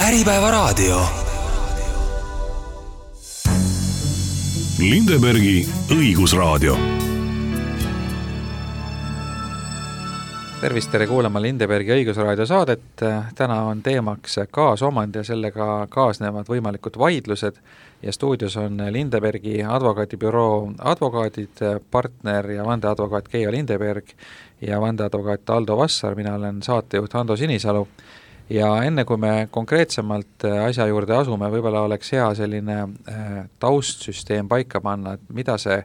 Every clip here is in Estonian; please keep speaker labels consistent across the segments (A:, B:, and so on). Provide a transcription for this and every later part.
A: Äripäevaraadio.
B: Lindebergi õigusraadio.
C: Tervist, tere kuulama Lindebergi õigusraadio saadet. Täna on teemaks kaasomand ja sellega kaasnevad võimalikud vaidlused ja stuudios on Lindebergi advokaadibüroo advokaadid, partner ja vandeadvokaat Keijo Lindeberg ja vandeadvokaat Aldo Vassar. Mina olen saatejuht Ando Sinisalu. Ja enne kui me konkreetsemalt asja juurde asume, võib-olla oleks hea selline taustsüsteem paika panna, et mida see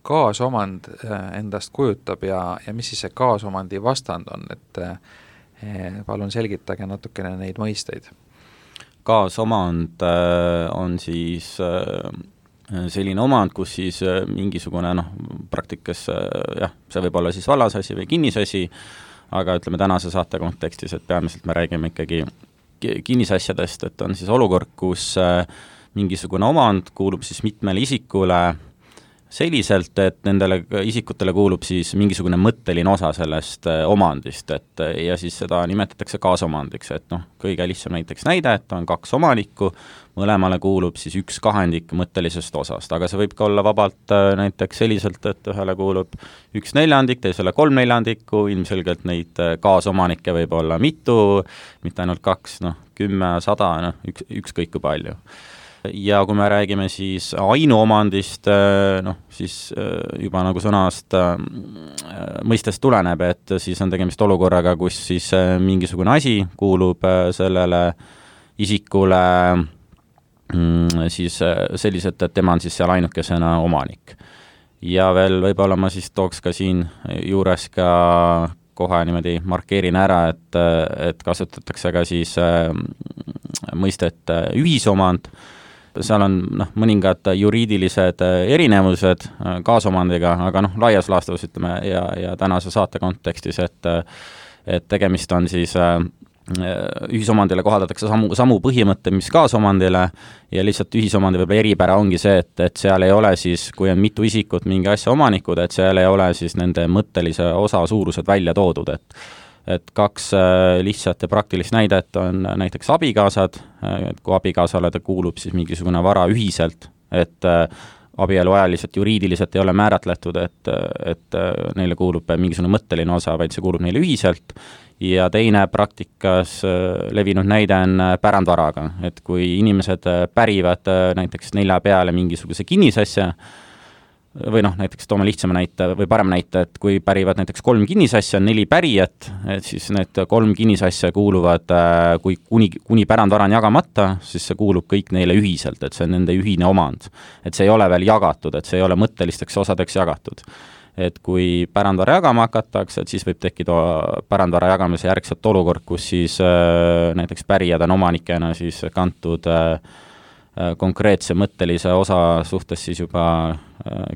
C: kaasomand endast kujutab ja mis siis see kaasomandi vastand on, et palun selgitage natukene neid mõisteid.
D: Kaasomand on siis selline omand, kus siis mingisugune praktikas, see võib olla siis vallasasi või kinnisasi, aga ütleme tänase saate kontekstis, et peamiselt me räägime ikkagi kinnisasjadest, et on siis olukord, kus mingisugune omand kuulub siis mitmele isikule selliselt, et nendele isikutele kuulub siis mingisugune mõtteline osa sellest omandist, ja siis seda nimetatakse kaasomandiks, et kõige lihtsam näiteks näide, et on kaks omanikku, mõlemale kuulub siis 1/2 mõttelisest osast, aga see võib ka olla vabalt näiteks selliselt, et ühele kuulub 1/4, teisele 3/4, ilmselgelt neid kaasomanikke võib olla mitu, mitte ainult 2, 10, 100, ükskõik kui palju. Ja kui me räägime siis ainuomandist, siis juba nagu sõnast mõistest tuleneb, et siis on tegemist olukorraga, kus siis mingisugune asi kuulub sellele isikule siis selliselt, et tema on siis seal ainukesena omanik. Ja veel võib-olla ma siis tooks ka siin juures ka kohe niimoodi markeerin ära, et kasutatakse ka siis mõistet ühisomand. Seal on mõningad juriidilised erinevused kaasomandiga, aga laias laastus ütleme ja tänase saate kontekstis, et tegemist on siis ühisomandile kohaldatakse samu põhimõtte, mis kaasomandile ja lihtsalt ühisomandi võib-olla eripära ongi see, et seal ei ole siis, kui on mitu isikut mingi asja omanikud, et seal ei ole siis nende mõttelise osa suurused välja toodud, et kaks lihtsat ja praktilist näidet on näiteks abikaasad, kui abikaasale ta kuulub siis mingisugune vara ühiselt, et abieluajaliselt juriidiliselt ei ole määratletud, et neile kuulub mingisugune mõtteline osa, vaid see kuulub neile ühiselt, ja teine praktikas levinud näide on pärandvaraga, et kui inimesed pärivad näiteks 4 peale mingisuguse kinnisasja, või näiteks toome lihtsama näite või parem näite, et kui pärivad näiteks 3 kinnisasja, on 4 pärijat, et siis need 3 kinnisasja kuuluvad, kui kuni pärandvara on jagamata, siis see kuulub kõik neile ühiselt, et see on nende ühine omand. Et see ei ole veel jagatud, et see ei ole mõttelisteks osadeks jagatud. Et kui pärandvara jagama hakatakse, et siis võib tekkida pärandvara jagamise järgselt olukord, kus siis näiteks pärijad on omanikena siis kantud konkreetse mõttelise osa suhtes siis juba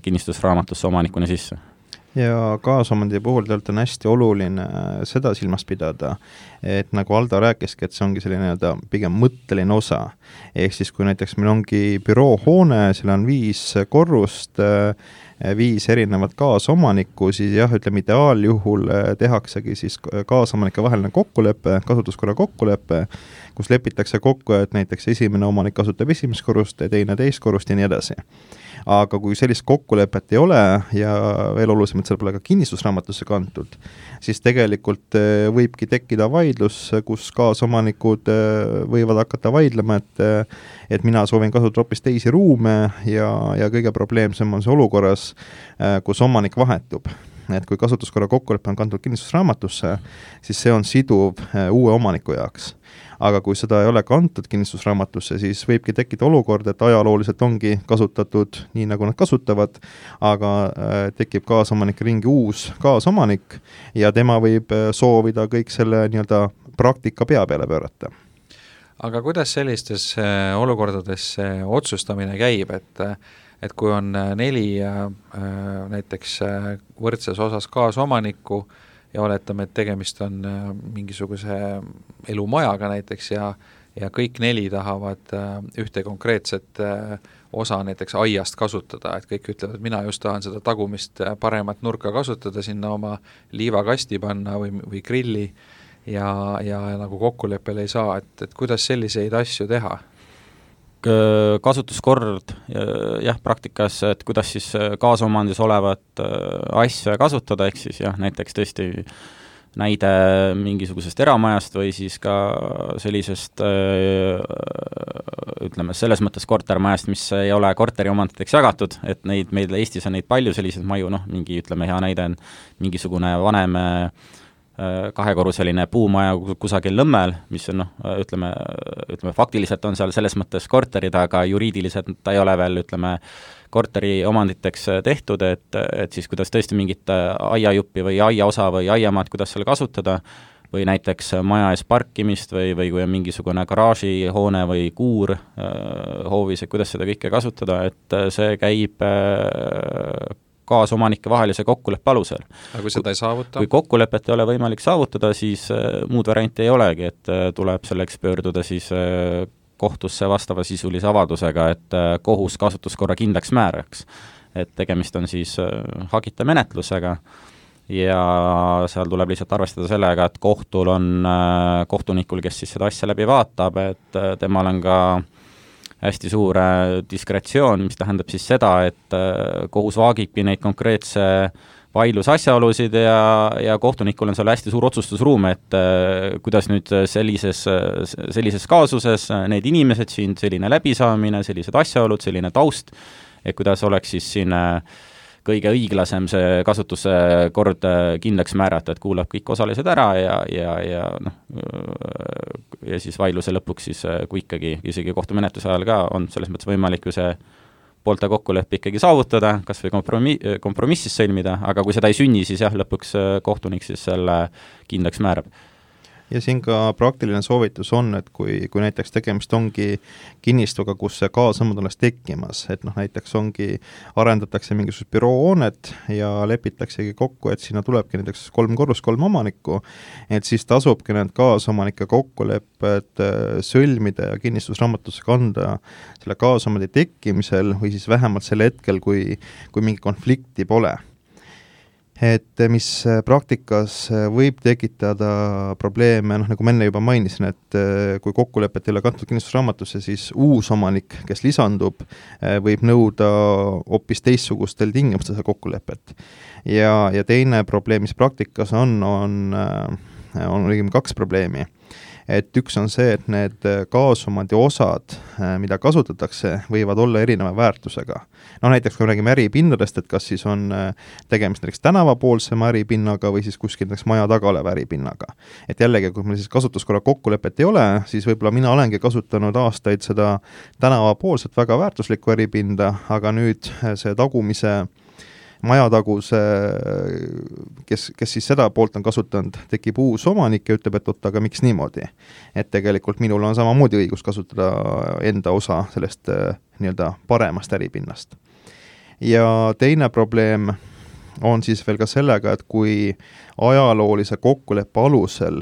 D: kinnistusraamatusse omanikuna sisse.
E: Ja kaasomandi puhul tegelikult on hästi oluline seda silmas pidada, et nagu Aldo rääkiski, et see ongi selline pigem mõtteline osa. Ehk siis kui näiteks meil ongi büroohoone, seal on 5 korrust, 5 erinevat kaasomanikku, siis ütleme ideaaljuhul tehaksegi siis kaasomanike vaheline kokkulepe, kasutuskorra kokkulepe, kus lepitakse kokku, et näiteks esimene omanik kasutab esimest korrust, teine teist korrust ja nii edasi. Aga kui sellist kokkulepet ei ole ja veel olulisemalt seal pole ka kinnistusraamatusse kantud, siis tegelikult võibki tekkida vaidlus, kus kaasomanikud võivad hakata vaidlema, et mina soovin kasutada hoopis teisi ruume ja kõige probleemsem on see olukorras, kus omanik vahetub. Et kui kasutuskorra kokkulepe on kantud kinnistusraamatusse, siis see on siduv uue omaniku jaoks. Aga kui seda ei ole kantud kinnistusraamatusse, siis võibki tekkida olukord, et ajalooliselt ongi kasutatud nii, nagu nad kasutavad, aga tekib kaasomanike ringi uus kaasomanik ja tema võib soovida kõik selle praktika pea peale pöörata.
C: Aga kuidas sellistes olukordades otsustamine käib, et kui on 4 näiteks võrdses osas kaasomanikku ja oletame, et tegemist on mingisuguse elumajaga näiteks ja kõik 4 tahavad ühte konkreetset osa näiteks aiast kasutada, et kõik ütlevad, et mina just tahan seda tagumist paremat nurka kasutada, sinna oma liivakasti panna või grilli ja nagu kokkuleppele ei saa, et kuidas selliseid asju teha?
D: Kasutuskord, jah, praktikas, et kuidas siis kaasomandis olevat asja kasutada, ehk siis jah, näiteks tõesti näide mingisugusest eramajast või siis ka sellisest ütleme, selles mõttes kortermajast, mis ei ole korteriomanditeks jagatud, et neid, meil Eestis on neid palju selliseid maju, mingi, ütleme, hea näide on mingisugune vanem kahekorruseline puumaja kusagil Lõmmel, mis on ütleme, faktiliselt on seal selles mõttes korterid, aga juriidiliselt ta ei ole veel, ütleme, korteri omanditeks tehtud, et siis kuidas tõesti mingit aiajuppi või aiaosa või aiamaad, kuidas seal kasutada, või näiteks maja ees parkimist või kui on mingisugune garaažihoone või kuur hoovis, et kuidas seda kõike kasutada, et see käib kaasomanike vahelise kokkuleppe alusel.
C: Aga kui seda ei saavuta?
D: Kui kokkulepet ei ole võimalik saavutada, siis muud varianti ei olegi, et tuleb selleks pöörduda siis kohtusse vastava sisulise avaldusega, et kohus kasutuskorra kindlaks määraks. Et tegemist on siis hagita menetlusega ja seal tuleb lihtsalt arvestada sellega, et kohtul on kohtunikul, kes siis seda asja läbi vaatab, et temal on ka hästi suur diskretsioon, mis tähendab siis seda, et kohus vaagibki neid konkreetse vaidluse asjaolusid ja kohtunikul on seal hästi suur otsustusruum, et kuidas nüüd sellises kaasuses need inimesed siin, selline läbisaamine, sellised asjaolud, selline taust, et kuidas oleks siis siin kõige õiglasem see kasutuse kord kindlaks määrata, et kuulab kõik osalised ära ja siis vaidluse lõpuks siis, kui ikkagi isegi kohtumenetluse ajal ka on selles mõttes võimalik ju see poolte kokkuleppe ikkagi saavutada, kas või kompromissis sõlmida, aga kui seda ei sünni, siis jah, lõpuks kohtunik siis selle kindlaks määrab.
E: Ja siin ka praktiline soovitus on, et kui näiteks tegemist ongi kinnistuga, kus see kaasomand alles tekkimas, et näiteks arendatakse mingisugust büroohoonet ja lepitaksegi kokku, et sinna tulebki näiteks 3 korrust 3 omanikku, et siis tasubki need kaasomanike kokkulepped sõlmida ja kinnistusraamatusse kanda selle kaasomandi tekkimisel või siis vähemalt sel hetkel, kui mingi konflikti pole. Et mis praktikas võib tekitada probleeme, nagu ma enne juba mainisin, et kui kokkulepet ei ole kantud kinnistusraamatusse, siis uus omanik, kes lisandub, võib nõuda hoopis teistsugustel tingimustel kokkulepet. Ja teine probleem, mis praktikas on õigemini 2 probleemi. Et üks on see, et need kaasomandi osad, mida kasutatakse, võivad olla erineva väärtusega. Näiteks kui me räägime äripinnadest, et kas siis on tegemist näiteks tänavapoolsema äripinnaga või siis kuskil näiteks maja taga oleva äripinnaga. Et jällegi, kui meil siis kasutuskorra kokkulepet ei ole, siis võib-olla mina olengi kasutanud aastaid seda tänavapoolset väga väärtuslikku äripinda, aga nüüd see tagumise majataguse, kes siis seda poolt on kasutanud, tekib uus omanik ja ütleb, et aga miks niimoodi. Et tegelikult minul on samamoodi õigus kasutada enda osa sellest nii-öelda paremast äripinnast. Ja teine probleem on siis veel ka sellega, et kui ajaloolise kokkuleppe alusel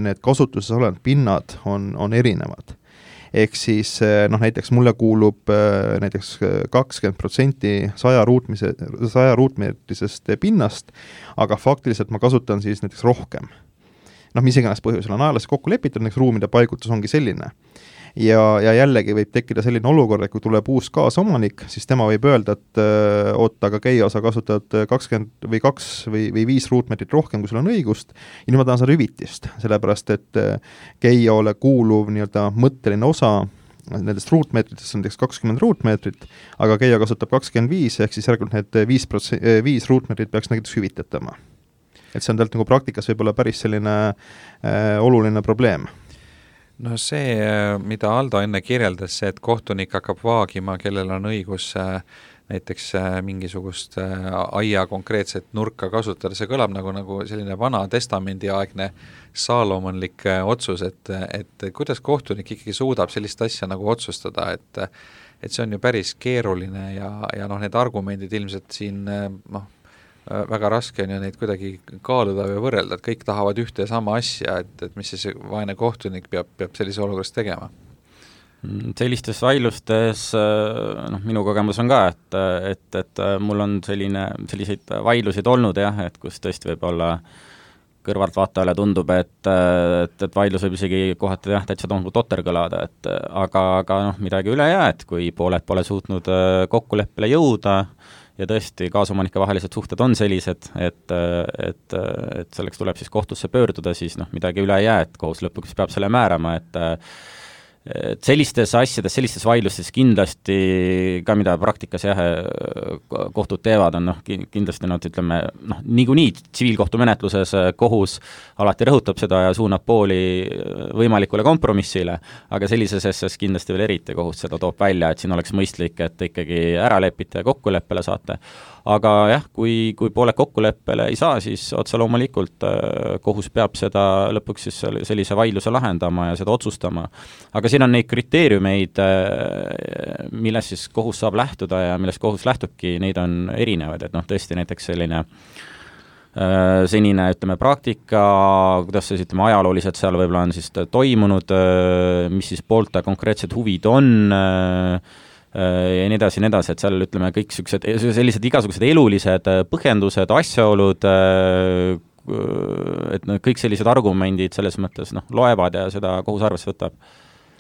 E: need kasutuses olevad pinnad on erinevad. Ehk siis näiteks mulle kuulub näiteks 20% 100 ruutmeetrisest pinnast, aga faktiliselt ma kasutan siis näiteks rohkem. Mis iganes põhjusel on ajaliselt kokku lepitud, näiteks ruumide paigutus ongi selline. Ja jällegi võib tekkida selline olukord, et kui tuleb uus kaasomanik, siis tema võib öelda, et aga Keio, sa kasutad 20 või 2 või 5 ruutmeetrit rohkem, kui sul on õigust, ja nüüd ma tahan saada hüvitist, sellepärast et Keiole kuuluv nii-öelda mõtteline osa nendest ruutmeetritest on näiteks 20 ruutmeetrit, aga Keio kasutab 25, ehk siis järelikult need 5 ruutmeetrit peaks näiteks hüvitatama. Et see on tegelikult nagu praktikas võib-olla päris selline oluline probleem.
C: No see, mida Aldo enne kirjeldas, see, et kohtunik hakkab vaagima, kellel on õigus näiteks mingisugust aia konkreetset nurka kasutada, see kõlab nagu selline vana testamendiaegne saalomonlik otsus, et kuidas kohtunik ikkagi suudab sellist asja nagu otsustada, et see on ju päris keeruline ja need argumendid ilmselt siin väga raske on ju neid kuidagi kaaluda või võrrelda, et kõik tahavad ühte ja sama asja, et mis siis vaene kohtunik peab sellise olukorras tegema?
D: Sellistes vaidlustes, minu kogemus on ka, et mul on selliseid vaidlusid olnud jah, et kus tõesti võib olla kõrvaltvaatajale tundub, et vaidlus võib isegi kohati täitsa totter kõlada, et aga midagi üle ei jää, et kui pooled pole suutnud kokkuleppele jõuda ja tõesti kaasomanike vahelised suhted on sellised, et selleks tuleb siis kohtusse pöörduda, siis midagi üle ei jää, et kohus lõpuks peab selle määrama, et sellistes asjades, sellistes vaidlustes kindlasti ka, mida praktikas kohtud teevad, on kindlasti nad ütleme, niikuinii tsiviilkohtumenetluses kohus alati rõhutab seda ja suunab pooli võimalikule kompromissile, aga sellises asjas kindlasti veel eriti kohus seda toob välja, et siin oleks mõistlik, et ikkagi ära lepite ja kokkuleppele saate. Aga jah, kui pooled kokkuleppele ei saa, siis otse loomulikult kohus peab seda lõpuks siis sellise vaidluse lahendama ja seda otsustama. Aga siin on neid kriteeriumeid, millest siis kohus saab lähtuda ja millest kohus lähtubki, neid on erinevaid, et tõesti näiteks selline senine, ütleme, praktika, kuidas see, ütleme, ajalooliselt seal võib-olla on siis toimunud, mis siis poolte konkreetsed huvid on, ja nii edasi, et seal, ütleme, kõik sellised igasugused elulised põhjendused, asjaolud, et kõik sellised argumendid selles mõttes loevad ja seda kohus arvesse võtab.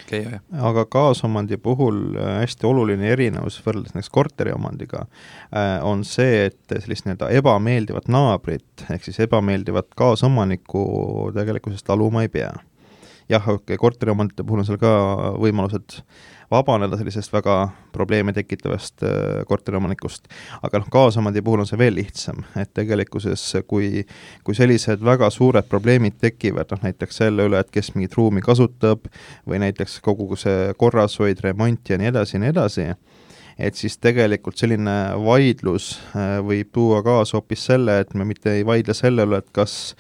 C: Okay.
E: Aga kaasomandi puhul hästi oluline erinevus võrreldes näiteks korteriomandiga on see, et sellist ebameeldivat naabrit ehk siis ebameeldivat kaasomanikku tegelikkuses taluma ei pea. Jah, korteriomandite puhul on seal ka võimalused vabaneda sellisest väga probleeme tekitavast korteriomanikust, aga kaasomandi puhul on see veel lihtsam, et tegelikkuses kui sellised väga suured probleemid tekivad, näiteks selle üle, et kes mingit ruumi kasutab või näiteks kogu see korrashoid, remont ja nii edasi, et siis tegelikult selline vaidlus võib tuua kaasa hoopis selle, et me mitte ei vaidle selle üle, et kas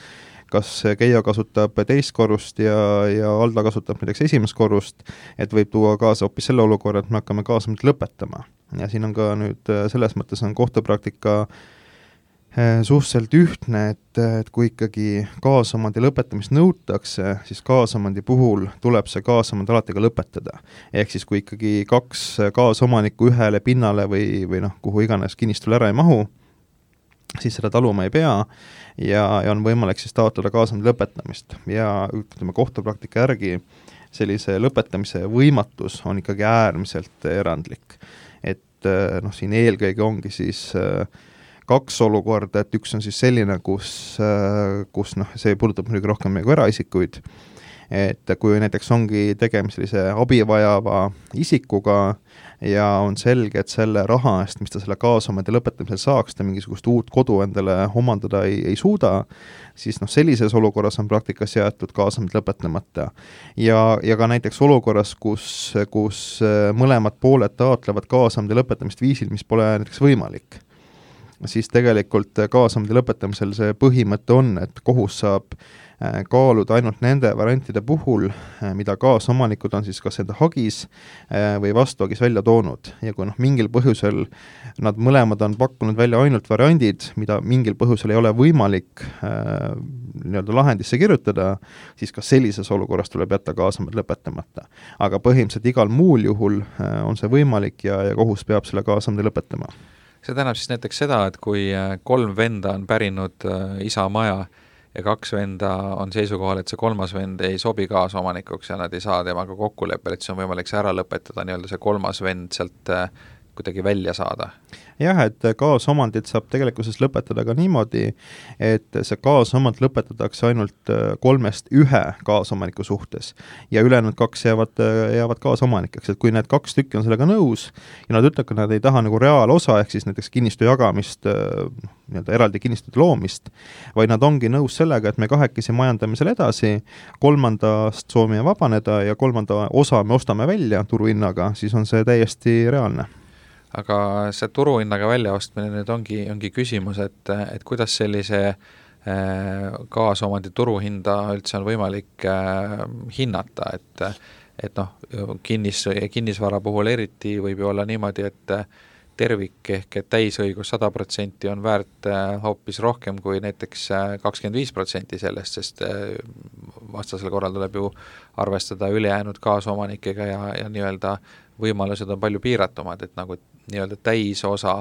E: Keia kasutab teist korrust ja Alda kasutab näiteks esimest korrust, et võib tuua kaasa hoopis selle olukorra, et me hakkame kaasamist lõpetama. Ja siin on ka nüüd selles mõttes on kohtupraktika suhteliselt ühtne, et kui ikkagi kaasamandi lõpetamist nõutakse, siis kaasamandi puhul tuleb see kaasamand alati ka lõpetada. Ehk siis kui ikkagi 2 kaasomanikku ühele pinnale või kuhu iganes kinnistule ära ei mahu, siis seda taluma ei pea ja on võimalik siis taotleda kaasamandi lõpetamist. Ja ütleme, kohtupraktika järgi sellise lõpetamise võimatus on ikkagi äärmiselt erandlik. Et siin eelkõige ongi siis 2 olukorda, et üks on siis selline, kus see puudutab muidugi rohkem meie eraisikuid, et kui näiteks ongi tegemist sellise abivajava isikuga ja on selge, et selle raha eest, mis ta selle kaasomandi lõpetamisel saaks, ta mingisugust uut kodu endale omandada ei suuda, siis sellises olukorras on praktikas jäetud kaasamand lõpetamata. Ja ka näiteks olukorras, kus mõlemad pooled taotlevad kaasamandi lõpetamist viisil, mis pole näiteks võimalik, siis tegelikult kaasamandi lõpetamisel see põhimõte on, et kohus saab kaaluda ainult nende variantide puhul, mida kaasomanikud on siis kas enda hagis või vastuhagis välja toonud. Ja kui mingil põhjusel nad mõlemad on pakkunud välja ainult variandid, mida mingil põhjusel ei ole võimalik lahendisse kirjutada, siis ka sellises olukorras tuleb jätta kaasamad lõpetamata. Aga põhimõtteliselt igal muul juhul on see võimalik ja kohus peab selle kaasamad lõpetama.
C: See tähendab siis näiteks seda, et kui 3 venda on pärinud isa maja ja 2 venda on seisukohal, et see 3. vend ei sobi kaasomanikuks ja nad ei saa temaga kokkuleppel, et see on võimalik see ära lõpetada, nii-öelda see 3. vend sealt kuidagi välja saada.
E: Jah, et kaasomandit saab tegelikkuses lõpetada ka niimoodi, et see kaasomand lõpetatakse ainult 3-st 1 kaasomaniku suhtes ja ülejäänud 2 jäävad kaasomanikeks, et kui need 2 tükki on sellega nõus ja nad ütlevad, et nad ei taha reaalosa, ehk siis näiteks kinnistu jagamist, eraldi kinnistute loomist, vaid nad ongi nõus sellega, et me 2 majandame selle edasi, 3-st soovime vabaneda ja 3. osa me ostame välja turuhinnaga, siis on see täiesti reaalne.
C: Aga see turuhinnaga väljaostmine nüüd ongi küsimus, et kuidas sellise kaasomandi turuhinda üldse on võimalik hinnata, et kinnisvara puhul eriti võib ju olla niimoodi, et tervik ehk täisõigus 100% on väärt hoopis rohkem kui näiteks 25% sellest, sest vastasel korral tuleb ju arvestada ülejäänud kaasomanikega ja nii-öelda võimalused on palju piiratumad, et nagu nii-öelda täisosa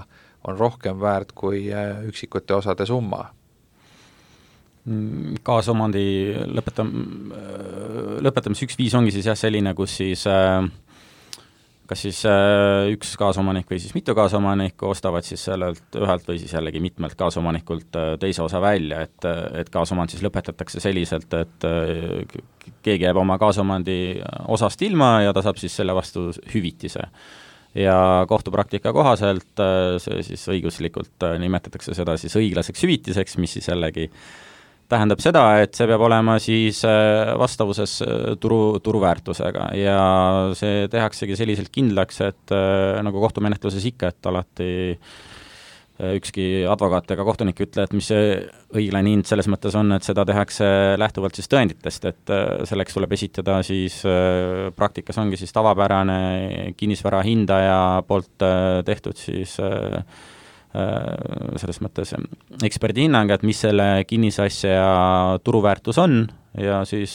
C: on rohkem väärt kui üksikute osade summa.
D: Kaasomandi lõpetamise üks viis ongi siis jah selline, kus siis kas siis üks kaasomanik või siis mitu kaasomanikku ostavad siis sellelt ühelt või siis jällegi mitmelt kaasomanikult teise osa välja, et kaasomand siis lõpetatakse selliselt, et keegi jääb oma kaasomandi osast ilma ja ta saab siis selle vastu hüvitise. Ja kohtupraktika kohaselt see siis õiguslikult nimetatakse seda siis õiglaseks hüvitiseks, mis siis jällegi tähendab seda, et see peab olema siis vastavuses turuväärtusega ja see tehaksegi selliselt kindlaks, et nagu kohtumenetluses ikka, et alati ükski advokaat ega kohtunik ütle, et mis see õiglane hind selles mõttes on, et seda tehakse lähtuvalt siis tõenditest, et selleks tuleb esitada siis praktikas ongi siis tavapärane kinnisvara hindaja poolt tehtud siis selles mõttes eksperdi hinnang, et mis selle kinnisasja turuväärtus on ja siis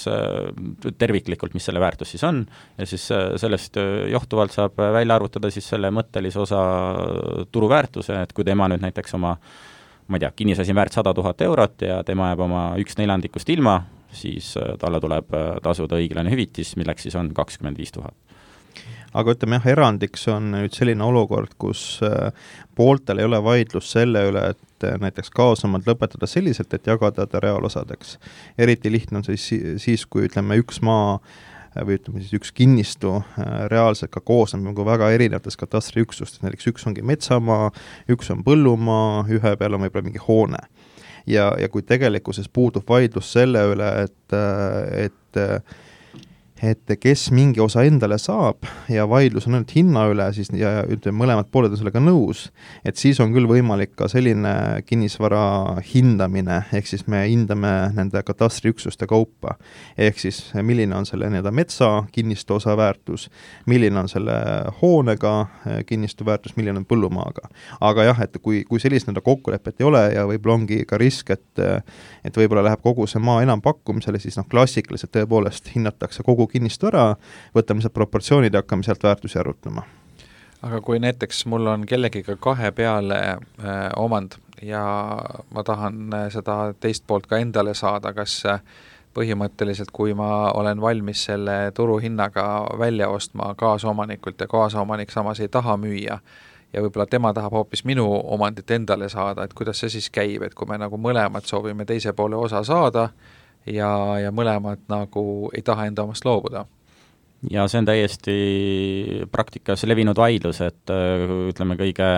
D: terviklikult, mis selle väärtus siis on ja siis sellest johtuvalt saab välja arvutada siis selle mõttelise osa turuväärtuse, et kui tema nüüd näiteks oma, ma ei tea, kinnisasi väärt 100 000 eurot ja tema jääb oma 1/4 ilma, siis talle tuleb tasuda õiglane hüvitis, milleks siis on 25 000.
E: Aga ütleme jah, erandiks on nüüd selline olukord, kus pooltel ei ole vaidlus selle üle, et näiteks kaasomand lõpetada selliselt, et jagada ta reaalosadeks. Eriti lihtne on siis, kui ütleme üks maa või ütleme siis üks kinnistu reaalselt ka koosneb nagu väga erinevates katastriüksustes, näiteks üks ongi metsamaa, üks on põllumaa, ühe peal on võib-olla mingi hoone. Ja kui tegelikkuses puudub vaidlus selle üle, et kes mingi osa endale saab ja vaidlus on ainult hinna üle, siis ja ütleme, mõlemad pooled on sellega nõus, et siis on küll võimalik ka selline kinnisvara hindamine, ehk siis me hindame nende katastriüksuste kaupa, ehk siis milline on selle metsa kinnistu osa väärtus, milline on selle hoonega kinnistu väärtus, milline on põllumaaga. Aga jah, et kui sellist kokkulepet ei ole ja võib-olla ongi ka risk, et võib-olla läheb kogu see maa enam pakkumisele, siis klassikaliselt tõepoolest hinnatakse kogu kinnistu ära, võtame sealt proportsioonid ja hakkame sealt väärtusi arutama.
C: Aga kui näiteks mul on kellegiga 2 peale omand ja ma tahan seda teist poolt ka endale saada, kas põhimõtteliselt, kui ma olen valmis selle turuhinnaga välja ostma kaasomanikult ja kaasomanik samas ei taha müüa ja võib-olla tema tahab hoopis minu omandit endale saada, et kuidas see siis käib, et kui me nagu mõlemad soovime teise poole osa saada ja mõlemad nagu ei taha enda omast loobuda.
D: Ja see on täiesti praktikas levinud vaidlus, et ütleme kõige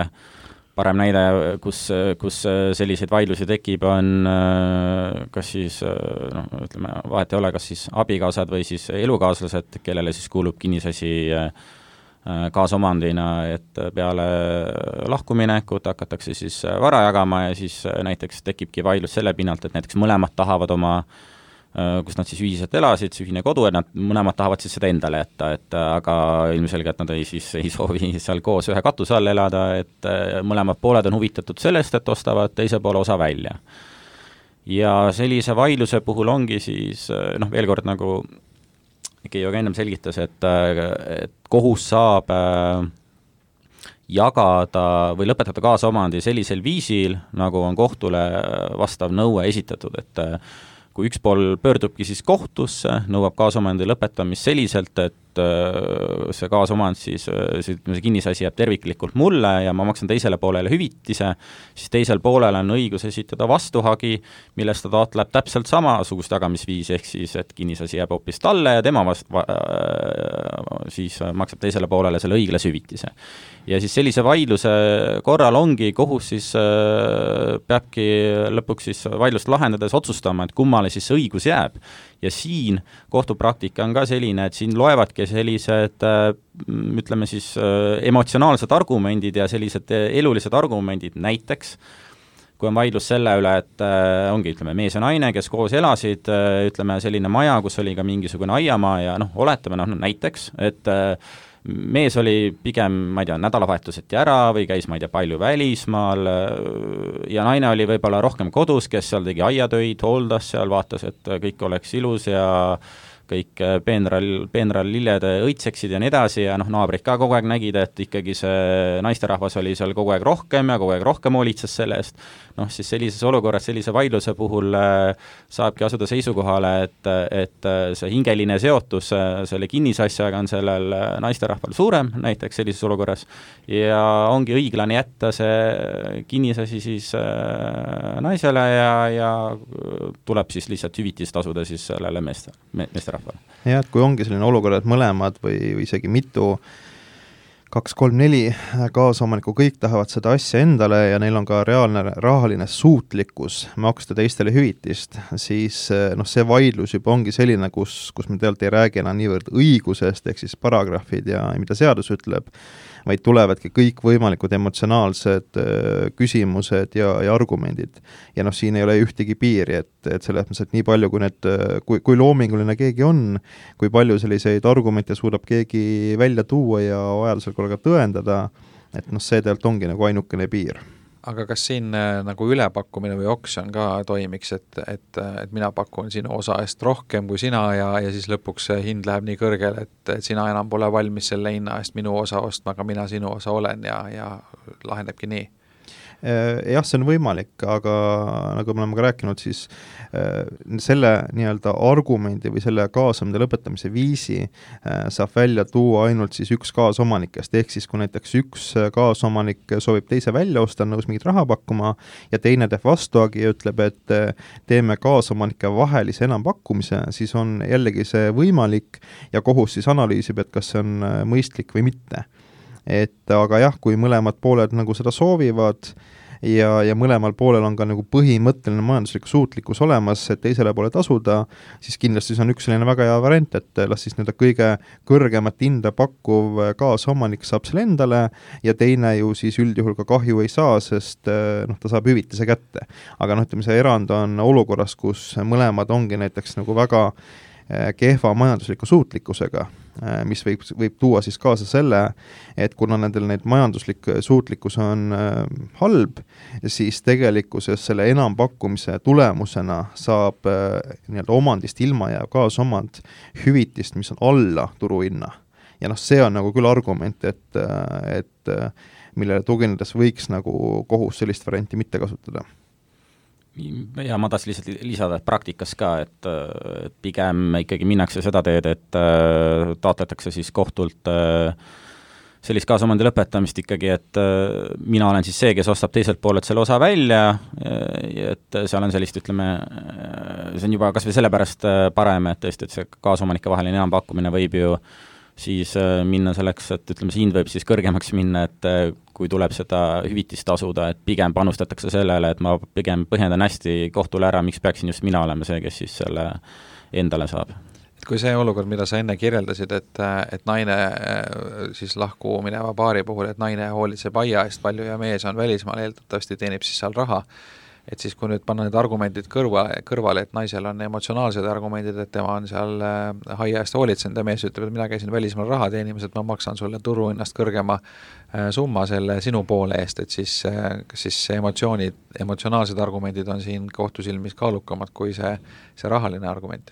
D: parem näide, kus selliseid vaidlusi tekib, on kas siis, ütleme, vahet ei ole, kas siis abikaasad või siis elukaaslased, kellele siis kuulub kinnisasi kaasomandina, et peale lahkuminekut hakatakse siis vara jagama ja siis näiteks tekibki vaidlus selle pinnalt, et näiteks mõlemad tahavad oma, kus nad siis ühiselt elasid, see ühine kodu, et nad mõlemad tahavad siis seda endale jätta, et aga ilmselgelt nad ei soovi seal koos ühe katuse all elada, et mõlemad pooled on huvitatud sellest, et ostavad teise poole osa välja. Ja sellise vaidluse puhul ongi siis, veel kord nagu Keijo ka ennem selgitas, et kohus saab jagada või lõpetada kaasomandi sellisel viisil, nagu on kohtule vastav nõue esitatud, et kui üks pool pöördubki siis kohtusse, nõuab kaasomandi lõpetamist selliselt, et see kaasomand siis, see kinnisasi jääb terviklikult mulle ja ma maksan teisele poolele hüvitise, siis teisel poolel on õigus esitada vastuhagi, millest ta taotleb täpselt samasugust jagamisviisi, ehk siis, et kinnisasi jääb hoopis talle ja tema siis maksab teisele poolele selle õiglase hüvitise. Ja siis sellise vaidluse korral ongi kohus siis peabki lõpuks siis vaidlust lahendades otsustama, et kummale siis see õigus jääb. Ja siin kohtupraktika on ka selline, et siin loevadki sellised, ütleme siis, emotsionaalsed argumendid ja sellised elulised argumendid, näiteks kui on vaidlus selle üle, et ongi, ütleme, mees ja naine, kes koos elasid, ütleme, selline maja, kus oli ka mingisugune aiamaa ja oletame, näiteks, et mees oli pigem, ma ei tea, nädalavahetuseti ära või käis, ma ei tea, palju välismaal ja naine oli võib-olla rohkem kodus, kes seal tegi aiatöid, hooldas seal, vaatas, et kõik oleks ilus ja kõik peenral lilled õitseksid ja nii edasi ja naabrid ka kogu aeg nägid, et ikkagi see naisterahvas oli seal kogu aeg rohkem ja kogu aeg rohkem hoolitses selle eest, siis sellises olukorras, sellise vaidluse puhul saabki asuda seisukohale, et see hingeline seotus selle kinnisasjaga on sellel naisterahval suurem, näiteks sellises olukorras, ja ongi õiglane jätta see kinnisasi siis naisele ja tuleb siis lihtsalt hüvitist tasuda siis sellele meesterahvale.
E: Ja, et kui ongi selline olukord, et mõlemad või isegi mitu 2, 3, 4 kaasomanikku kõik tahavad seda asja endale ja neil on ka reaalne rahaline suutlikkus maksta teistele hüvitist, siis see vaidlus juba ongi selline, kus me tegelikult ei räägi enam niivõrd õigusest, ehk siis paragrahvid ja mida seadus ütleb, vaid tulevadki kõik võimalikud emotsionaalsed küsimused ja argumendid. Ja siin ei ole ühtegi piiri, et selles mõttes, et nii palju, kui loominguline keegi on, kui palju selliseid argumente suudab keegi välja tuua ja vajadusel korraga tõendada, et see tegelikult ongi nagu ainukene piir.
C: Aga kas siin nagu ülepakkumine või oksjon ka toimiks, et mina pakun sinu osa eest rohkem kui sina ja siis lõpuks hind läheb nii kõrgele, et sina enam pole valmis selle hinna eest minu osa ostma, aga mina sinu osa olen ja lahendabki nii?
E: Jah, see on võimalik, aga nagu me oleme ka rääkinud, siis selle nii-öelda argumendi või selle kaasamine lõpetamise viisi saab välja tuua ainult siis üks kaasomanikest, ehk siis kui näiteks üks kaasomanik soovib teise välja osta, nõus mingit raha pakkuma ja teine teeb vastuagi ja ütleb, et teeme kaasomanike vahelise enampakkumise, siis on jällegi see võimalik ja kohus siis analüüsib, et kas see on mõistlik või mitte. Aga jah, kui mõlemad pooled nagu seda soovivad ja mõlemal poolel on ka nagu põhimõtteline majanduslik suutlikkus olemas, et teisele poole tasuda, siis kindlasti see on üks selline väga hea variant, et las siis kõige kõrgemat hinda pakkuv kaasomanik saab selle endale ja teine ju siis üldjuhul ka kahju ei saa, sest ta saab hüvitise kätte. Aga ütleme, see erand on olukorras, kus mõlemad ongi näiteks nagu väga kehva majandusliku suutlikkusega, mis võib tuua siis kaasa selle, et kuna nendel neid majanduslik suutlikkus on halb, siis tegelikkuses selle enampakkumise tulemusena saab nii-öelda omandist ilma jääv kaasomand hüvitist, mis on alla turuhinna. Ja see on nagu küll argument, et millele tuginedes võiks nagu kohus sellist varianti mitte kasutada.
D: Ja ma tahtsin lihtsalt lisada, et praktikas ka, et pigem ikkagi minnakse seda teed, et taotletakse siis kohtult sellist kaasomandi lõpetamist ikkagi, et mina olen siis see, kes ostab teiselt poolelt selle osa välja, et seal on sellist, ütleme, see on juba kas või sellepärast parem, et tõesti, et see kaasomanike vaheline enampakkumine võib ju siis minna selleks, et ütleme, see hind võib siis kõrgemaks minna, et kui tuleb seda hüvitist tasuda, et pigem panustatakse sellele, et ma pigem põhjendan hästi kohtule ära, miks peaksin just mina olema see, kes siis selle endale saab.
C: Et kui see olukord, mida sa enne kirjeldasid, et naine siis lahku mineva paari puhul, et naine hoolitseb aia eest palju ja mees on välismaal, eeldatavasti teenib siis seal raha, et siis kui nüüd panna need argumendid kõrvale, et naisel on emotsionaalsed argumendid, et tema on seal haia eest hoolitsenud ja mees ütleb, et mina käisin välismaal raha teenimas, et ma maksan sulle turuhinnast kõrgema summa selle sinu poole eest, et siis emotsionaalsed argumendid on siin kohtusilmis kaalukamad kui see rahaline argument.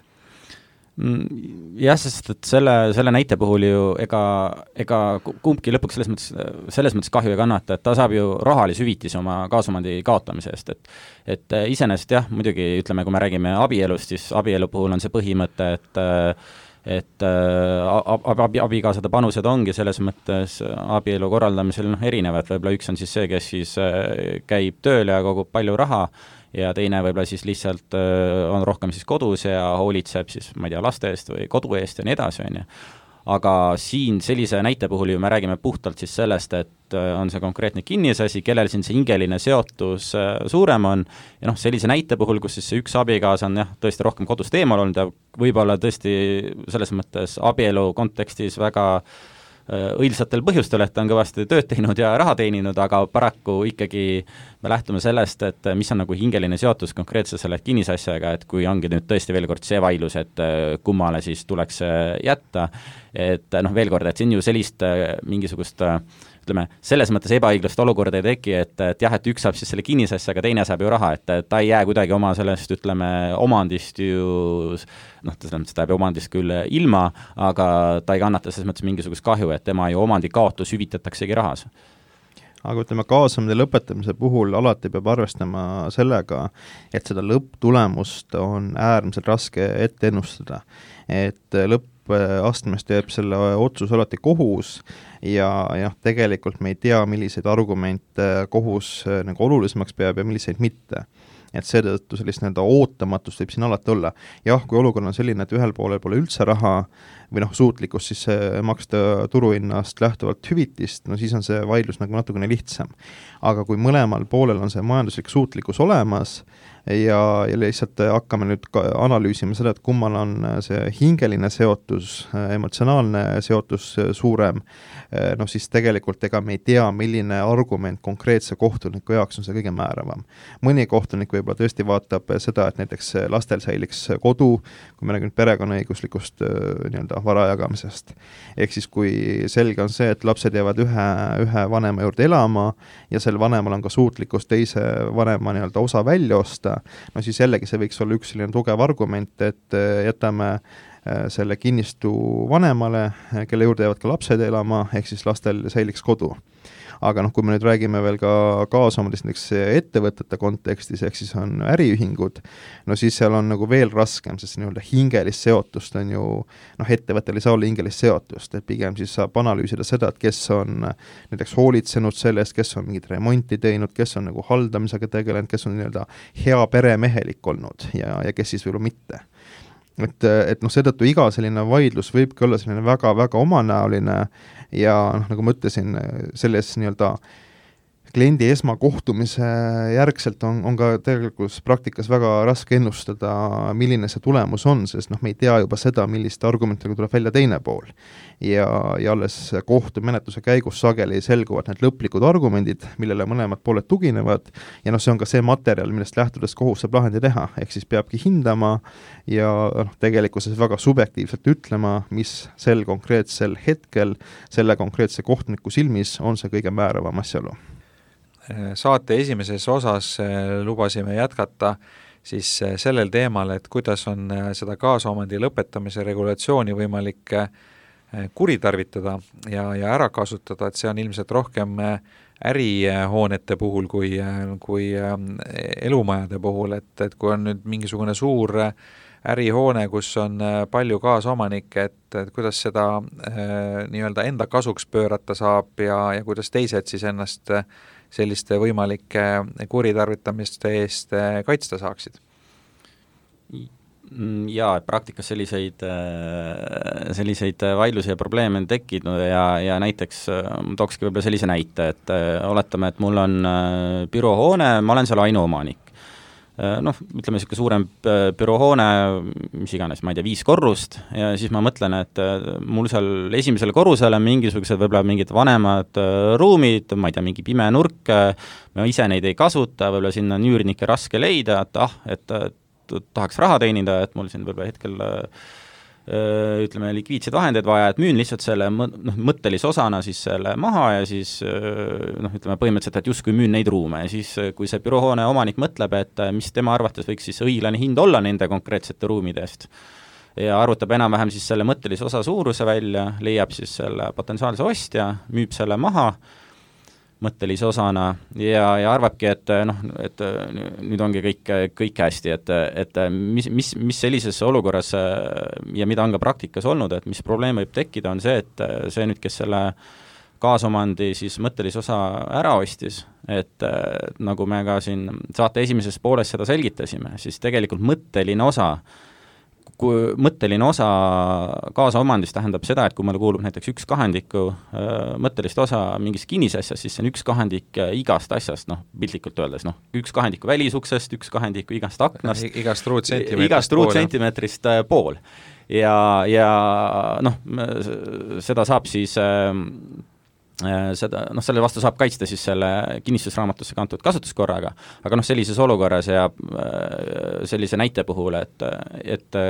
D: Jah, sest et selle näite puhul ju ega kumbki lõpuks selles mõttes kahju ei kannata, et ta saab ju rahalise hüvitise oma kaasomandi kaotamise eest, et iseenesest jah, muidugi ütleme, kui me räägime abielust, siis abielu puhul on see põhimõte, et abikaasade panused ongi selles mõttes abielu korraldamisel erinevad, võib-olla üks on siis see, kes siis käib tööl ja kogub palju raha ja teine võib-olla siis lihtsalt on rohkem siis kodus ja hoolitseb siis, ma ei tea, laste eest või kodu eest ja nii edasi, on ju. Aga siin sellise näite puhul ju me räägime puhtalt siis sellest, et on see konkreetne kinnisasi, kellel siin see hingeline seotus suurem on ja sellise näite puhul, kus siis see üks abikaasa on jah, tõesti rohkem kodust eemal olnud ja võib-olla tõesti selles mõttes abielu kontekstis väga õilsatel põhjustel, et ta on kõvasti tööd teinud ja raha teeninud, aga paraku ikkagi me lähtume sellest, et mis on nagu hingeline seotus konkreetse selle kinnisasjaga, et kui ongi nüüd tõesti veel kord see vaidlus, et kummale siis tuleks jätta, et veel kord, et siin ju sellist mingisugust ütleme, selles mõttes ebaõiglast olukorda ei teki, et jah, et üks saab siis selle kinnisasja, aga teine saab ju raha, et ta ei jää kuidagi oma sellest, ütleme, omandist ju, noh, ta jääb omandist küll ilma, aga ta ei kannata selles mõttes mingisugust kahju, et tema ju omandikaotus hüvitataksegi rahas.
E: Aga ütleme, kaasamine lõpetamise puhul alati peab arvestama sellega, et seda lõpptulemust on äärmiselt raske ette ennustada. Et lõppastmes teeb selle otsus alati kohus ja tegelikult me ei tea, milliseid argumente kohus nagu olulisemaks peab ja milliseid mitte. Et seetõttu sellist ootamatust võib siin alati olla. Jah, kui olukord on selline, et ühel poolel pole üldse raha või suutlikkus siis maksta turuhinnast lähtuvalt hüvitist, no siis on see vaidlus nagu natukene lihtsam. Aga kui mõlemal poolel on see majanduslik suutlikkus olemas ja lihtsalt hakkame nüüd analüüsima seda, et kummal on see hingeline seotus, emotsionaalne seotus suurem, no siis tegelikult ega me ei tea, milline argument konkreetse kohtuniku jaoks on see kõige määravam. Mõni kohtunik võib-olla tõesti vaatab seda, et näiteks lastel säiliks kodu, kui me räägime perekonnaõiguslikust vara jagamisest. Ehk siis kui selge on see, et lapsed jäävad ühe vanema juurde elama ja sel vanemal on ka suutlikkus teise vanema osa välja osta, no siis jällegi see võiks olla üks selline tugev argument, et jätame selle kinnistu vanemale, kelle juurde jäävad ka lapsed elama, ehk siis lastel säiliks kodu. Aga kui me nüüd räägime veel ka kaasomandist näiteks ettevõtete kontekstis, ehk siis on äriühingud, no siis seal on nagu veel raskem, sest hingelist seotust on ju, ettevõttel ei saa olla hingelist seotust, et pigem siis saab analüüsida seda, et kes on näiteks hoolitsenud sellest, kes on mingit remonti teinud, kes on nagu haldamisega tegelenud, kes on hea peremehelik olnud ja kes siis võib-olla mitte. Et seetõttu iga selline vaidlus võibki olla selline väga-väga omanäoline ja nagu ma ütlesin, selles kliendi esmakohtumise järgselt on ka tegelikult praktikas väga raske ennustada, milline see tulemus on, sest me ei tea juba seda, milliste argumentidega tuleb välja teine pool. Ja alles kohtumenetluse käigus sageli selguvad need lõplikud argumendid, millele mõlemad pooled tuginevad ja see on ka see materjal, millest lähtudes kohus saab lahendi teha, ehk siis peabki hindama ja tegelikkuses väga subjektiivselt ütlema, mis sel konkreetsel hetkel selle konkreetse kohtuniku silmis on see kõige määravam asjaolu.
C: Saate esimeses osas lubasime jätkata siis sellel teemal, et kuidas on seda kaasomandi lõpetamise regulatsiooni võimalik kuritarvitada ja ära kasutada, et see on ilmselt rohkem ärihoonete puhul kui elumajade puhul, et kui on nüüd mingisugune suur ärihoone, kus on palju kaasomanikke, et kuidas seda nii-öelda enda kasuks pöörata saab ja kuidas teised siis ennast selliste võimalike kuritarvitamiste eest kaitsta saaksid?
D: Jaa, praktikas selliseid vaidlusi ja probleeme on tekkinud ja näiteks tookski võib-olla sellise näite, et oletame, et mul on büroohoone, ma olen seal ainuomanik. Ütleme niisugune suurem büroohoone, mis iganes, ma ei tea, 5 korrust ja siis ma mõtlen, et mul seal esimesele korrusele mingisugused võib-olla mingid vanemad ruumid, ma ei tea, mingi pime nurk, ma ise neid ei kasuta, võib-olla sinna on üürnikke raske leida, et tahaks raha teenida, et mul siin võib-olla hetkel ütleme, likviidseid vahendeid vaja, et müün lihtsalt selle mõttelise osana siis selle maha ja siis ütleme põhimõtteliselt, et justkui müün neid ruume ja siis, kui see büroohoone omanik mõtleb, et mis tema arvates võiks siis õiglane hind olla nende konkreetsete ruumide eest ja arvutab enam-vähem siis selle mõttelise osa suuruse välja, leiab siis selle potentsiaalse ostja, müüb selle maha mõttelise osana ja arvabki, et nüüd ongi kõik hästi, et mis sellises olukorras ja mida on ka praktikas olnud, et mis probleem võib tekkida, on see, et see nüüd, kes selle kaasomandi siis mõttelise osa ära ostis, et nagu me ka siin saate esimeses pooles seda selgitasime, siis tegelikult mõtteline osa kaasaomandist tähendab seda, et kui mulle kuulub näiteks 1/2 mõttelist osa mingist kinnisasjast, siis see on 1/2 igast asjast, piltlikult öeldes, 1/2 välisuksest, 1/2 igast aknast,
C: igast ruutsentimeetrist
D: pool. Ja seda saab siis selle vastu saab kaitsta siis selle kinnistusraamatusse kantud kasutuskorraga, aga sellises olukorras ja sellise näite puhul, et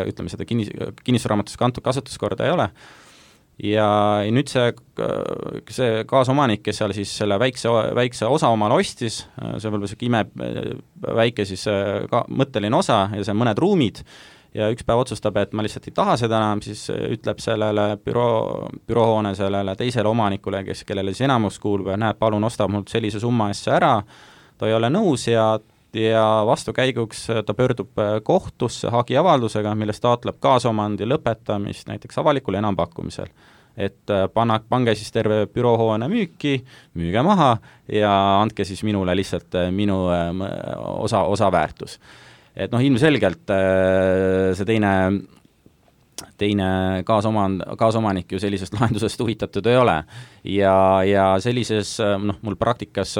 D: ütleme, seda kinnistusraamatusse kantud kasutuskorda ei ole ja nüüd see kaasomanik, kes seal siis selle väikse osa omale ostis, see võib-olla selline väike siis ka mõtteline osa ja see mõned ruumid, ja üks päev otsustab, et ma lihtsalt ei taha seda enam, siis ütleb sellele büroohoone sellele teisele omanikule, kellele siis enamus kuulub, ja näed, palun ostab mult sellise summa eest see ära, ta ei ole nõus ja vastukäiguks ta pöördub kohtusse hagiavaldusega, milles taotleb kaasomandi lõpetamist näiteks avalikul enampakkumisel. Et pange siis terve büroohoone müüki, müüge maha ja andke siis minule lihtsalt minu osa väärtus. Et ilmselgelt see teine kaasomanik ju sellisest lahendusest huvitatud ei ole. Ja sellises, mul praktikas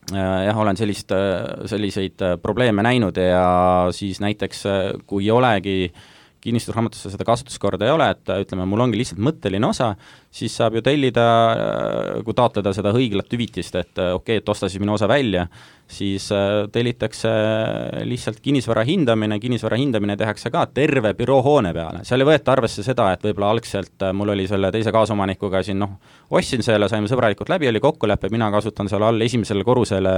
D: olen selliseid probleeme näinud ja siis näiteks, kui ei olegi kinnistusraamatusse seda kasutuskorda ei ole, et ütleme, mul ongi lihtsalt mõtteline osa, siis saab ju tellida, kui taotleda seda õiglat hüvitist, et okei, et osta siis minu osa välja, siis tellitakse lihtsalt kinnisvara hindamine tehakse ka terve büroohoone peale. Seal ei võeta arvesse seda, et võib-olla algselt mul oli selle teise kaasomanikuga siin, ostsin selle, saime sõbralikult läbi, oli kokkulepe, mina kasutan seal all esimesele korrusele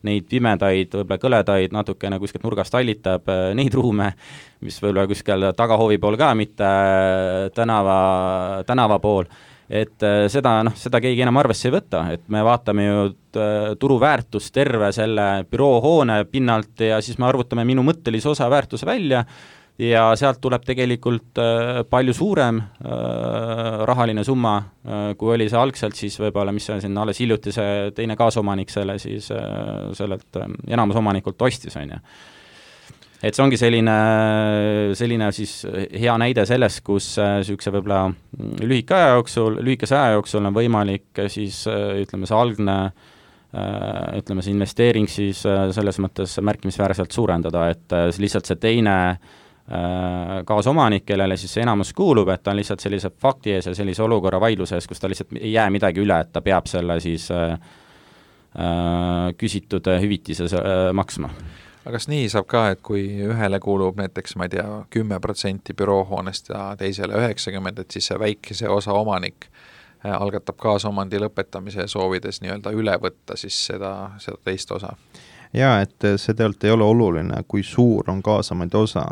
D: neid pimedaid, võib-olla kõledaid, natukene kuskilt nurgast allitab neid ruume, mis võib-olla kuskil tagahoovi pool ka, mitte tänava pool. Et seda keegi enam arvesse ei võta, et me vaatame ju turuväärtust terve selle büroohoone pinnalt ja siis me arvutame minu mõttelise osa väärtuse välja ja sealt tuleb tegelikult palju suurem rahaline summa, kui oli see algselt siis võib-olla, mis on siin alles hiljuti see teine kaasomanik selle siis sellelt enamusomanikult ostis, on ju. Et see ongi selline siis hea näide sellest, kus sihukese võib-olla lühikese aja jooksul on võimalik siis ütleme see algne ütleme see investeering siis selles mõttes märkimisväärselt suurendada, et lihtsalt see teine kaasomanik, kellele siis see enamus kuulub, et ta on lihtsalt sellise fakti ees ja sellise olukorra vaidluse ees, kus ta lihtsalt ei jää midagi üle, et ta peab selle siis küsitud hüvitise maksma.
C: Aga kas nii saab ka, et kui ühele kuulub näiteks, ma ei tea, 10% büroohoonest ja teisele 90%, et siis see väikese osa omanik algatab kaasomandi lõpetamise soovides nii-öelda üle võtta siis seda teist osa?
E: Jaa, et see tegelikult ei ole oluline, kui suur on kaasamandi osa,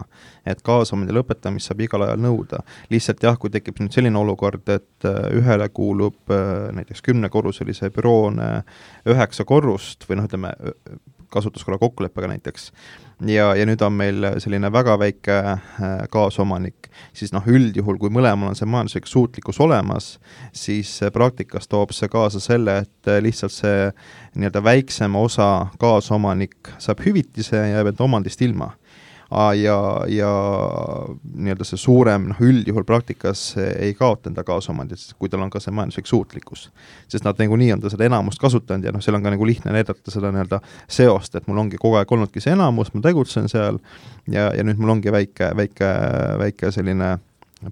E: et kaasamandi lõpetamist saab igal ajal nõuda. Lihtsalt jah, kui tekib nüüd selline olukord, et ühele kuulub näiteks 10-korruselise büroone 9 korrust või ütleme, kasutuskorra kokkuleppega näiteks, ja nüüd on meil selline väga väike kaasomanik, siis üldjuhul, kui mõlemal on see majanduslik suutlikkus olemas, siis praktikas toob see kaasa selle, et lihtsalt see nii-öelda väiksema osa kaasomanik saab hüvitise ja jääb enda omandist ilma. Ja nii-öelda see suurem üldjuhul praktikas ei kaota enda kaasomandit, kui tal on ka see majanduslik suutlikkus. Sest nad nii on ta seda enamust kasutanud ja seal on ka lihtne näidata seda nii-öelda seost, et mul ongi kogu aeg olnudki see enamus, ma tegutsen seal ja nüüd mul ongi väike selline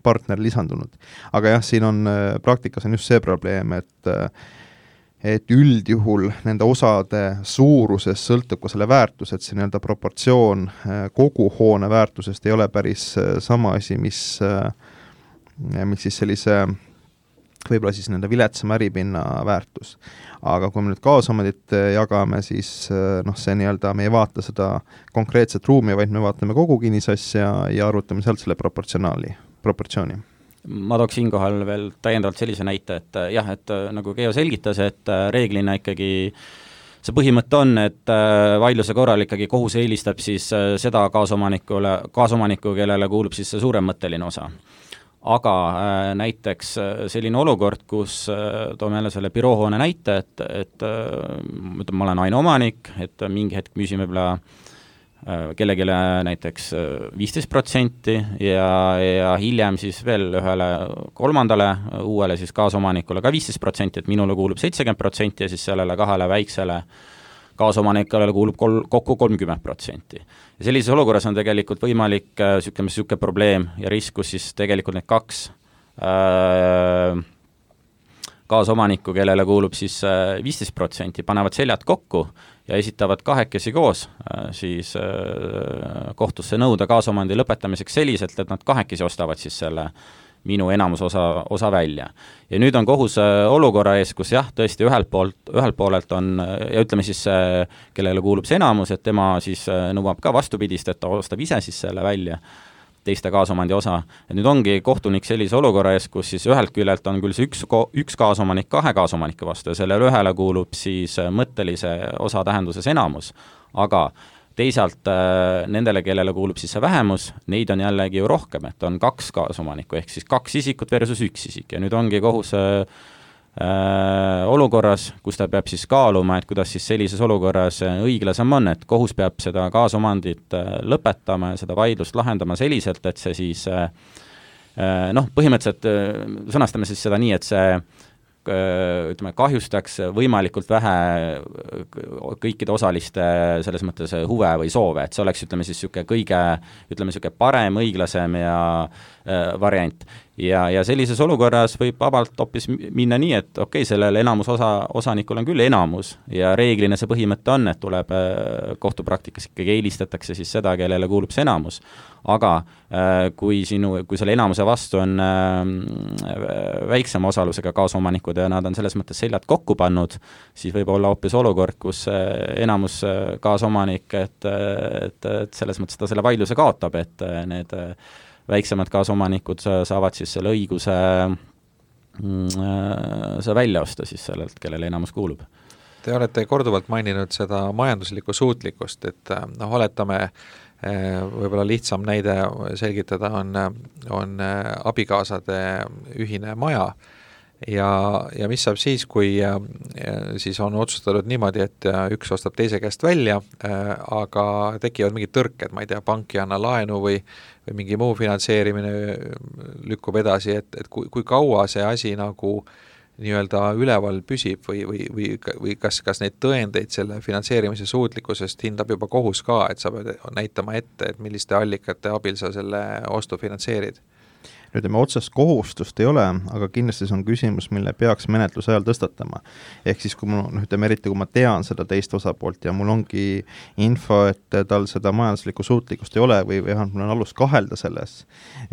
E: partner lisandunud. Aga jah, siin on praktikas on just see probleem, et üldjuhul nende osade suurusest sõltub ka selle väärtus, et see nii-öelda proportsioon kogu hoone väärtusest ei ole päris sama asi, mis siis sellise võib-olla siis nende viletsama äripinna väärtus. Aga kui me nüüd kaasomandit jagame, siis see nii-öelda me ei vaata seda konkreetset ruumi, vaid me vaatame kogu kinnisasja ja arvutame sealt selle proportsiooni.
D: Ma tooks siinkohal veel täiendavalt sellise näite, et jah, et nagu Keo selgitas, et reeglina ikkagi see põhimõte on, et vaidluse korral ikkagi kohus eelistab siis seda kaasomanikku, kellele kuulub siis see suurem mõtteline osa. Aga näiteks selline olukord, kus toome jälle selle büroohoone näite, et ma olen ainuomanik, et mingi hetk müüsime võib-olla kellelegi näiteks 15% ja hiljem siis veel ühele kolmandale uuele siis kaasomanikule ka 15%, et minule kuulub 70% ja siis sellele kahele väiksele kaasomanikule kuulub kokku 30%. Ja sellises olukorras on tegelikult võimalik niisugune probleem ja risk, kus siis tegelikult need kaks kaasomanikku, kellele kuulub siis 15%, panevad seljad kokku ja esitavad kahekesi koos siis kohtusse nõuda kaasomandi lõpetamiseks selliselt, et nad kahekesi ostavad siis selle minu enamusosa välja. Ja nüüd on kohus olukorra ees, kus jah, tõesti ühelt poolelt on, ja ütleme siis, kellele kuulub see enamus, et tema siis nõuab ka vastupidist, et ta ostab ise siis selle välja, teiste kaasomandi osa. Et nüüd ongi kohtunik sellise olukorra ees, kus siis ühelt küljelt on küll see üks kaasomanik 2 kaasomanike vastu ja sellele ühele kuulub siis mõttelise osa tähenduses enamus, aga teisalt nendele, kellele kuulub siis see vähemus, neid on jällegi ju rohkem, et on 2 kaasomanikku, ehk siis 2 isikut versus 1 isik ja nüüd ongi kohus olukorras, kus ta peab siis kaaluma, et kuidas siis sellises olukorras õiglasem on, et kohus peab seda kaasomandit lõpetama ja seda vaidlust lahendama selliselt, et see siis põhimõtteliselt sõnastame siis seda nii, et see ütleme, kahjustaks võimalikult vähe kõikide osaliste selles mõttes huve või soove, et see oleks, ütleme siis kõige parem, õiglasem ja variant. Ja sellises olukorras võib vabalt hoopis minna nii, et okei, sellel osanikul on küll enamus ja reeglina see põhimõte on, et tuleb kohtupraktikas ikkagi eelistatakse siis seda, kellele kuulub see enamus. Aga kui selle enamuse vastu on väiksema osalusega kaasomanikud ja nad on selles mõttes seljad kokku pannud, siis võib olla hoopis olukord, kus enamus kaasomanik, et selles mõttes ta selle vaidluse kaotab, et need väiksemad kaasomanikud saavad siis selle õiguse see välja osta siis sellelt, kellele enamus kuulub.
C: Te olete korduvalt maininud seda majanduslikku suutlikkust, et oletame, võib-olla lihtsam näide selgitada on abikaasade ühine maja ja mis saab siis, kui siis on otsustatud niimoodi, et üks ostab teise käest välja, aga tekivad mingid tõrked, ma ei tea, pank ei anna laenu või mingi muu finantseerimine lükkub edasi, et kui kaua see asi nagu nii-öelda üleval püsib või kas neid tõendeid selle finantseerimise suutlikkusest hindab juba kohus ka, et sa pead näitama ette, et milliste allikate abil sa selle ostu finantseerid?
E: Ütleme, otsest kohustust ei ole, aga kindlasti see on küsimus, mille peaks menetluse ajal tõstatama. Ehk siis, kui eriti kui ma tean seda teist osapoolt ja mul ongi info, et tal seda majanduslikku suutlikkust ei ole või mul on alust kahelda selles,